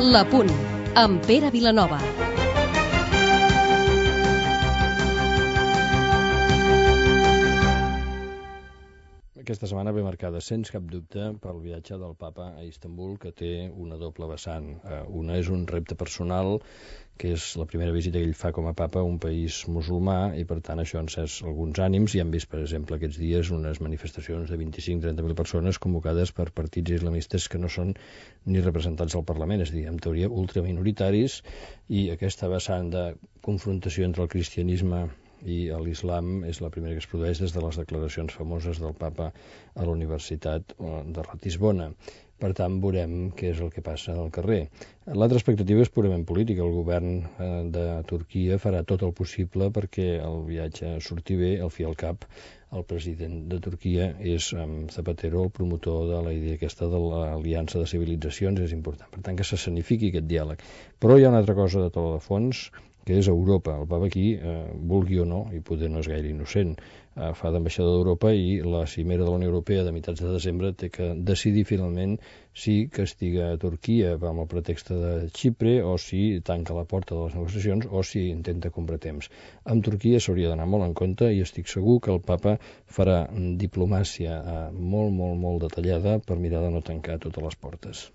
L'Apunt, amb Pere Vilanova. Aquesta setmana ve marcada, sens cap dubte, pel viatge del papa a Istanbul, que té una doble vessant. Una és un repte personal, que és la primera visita que ell fa com a papa a un país musulmà, i per tant això ha encès alguns ànims, i hem vist, per exemple, aquests dies unes manifestacions de 25-30.000 persones convocades per partits islamistes que no són ni representats al Parlament, és a dir, en teoria ultraminoritaris, i aquesta vessant de confrontació entre el cristianisme i l'islam és la primera que es produeix des de les declaracions famoses del papa a la Universitat de Ratisbona. Per tant, veurem què és el que passa al carrer. L'altra expectativa és purament política. El govern de Turquia farà tot el possible perquè el viatge surti bé. Al fi i al cap, el president de Turquia és Zapatero, el promotor de la idea aquesta de l'aliança de civilitzacions, és important. Per tant, que s'escenifiqui aquest diàleg. Però hi ha una altra cosa de to de fons, que és Europa. El papa aquí, vulgui o no, i poder no és gaire innocent, fa d'ambaixador d'Europa, i la cimera de la Unió Europea de mitjans de desembre té que decidir finalment si castiga a Turquia amb el pretext de Xipre, o si tanca la porta de les negociacions, o si intenta comprar temps. Amb Turquia s'hauria d'anar molt en compte, i estic segur que el papa farà diplomàcia molt detallada per mirar de no tancar totes les portes.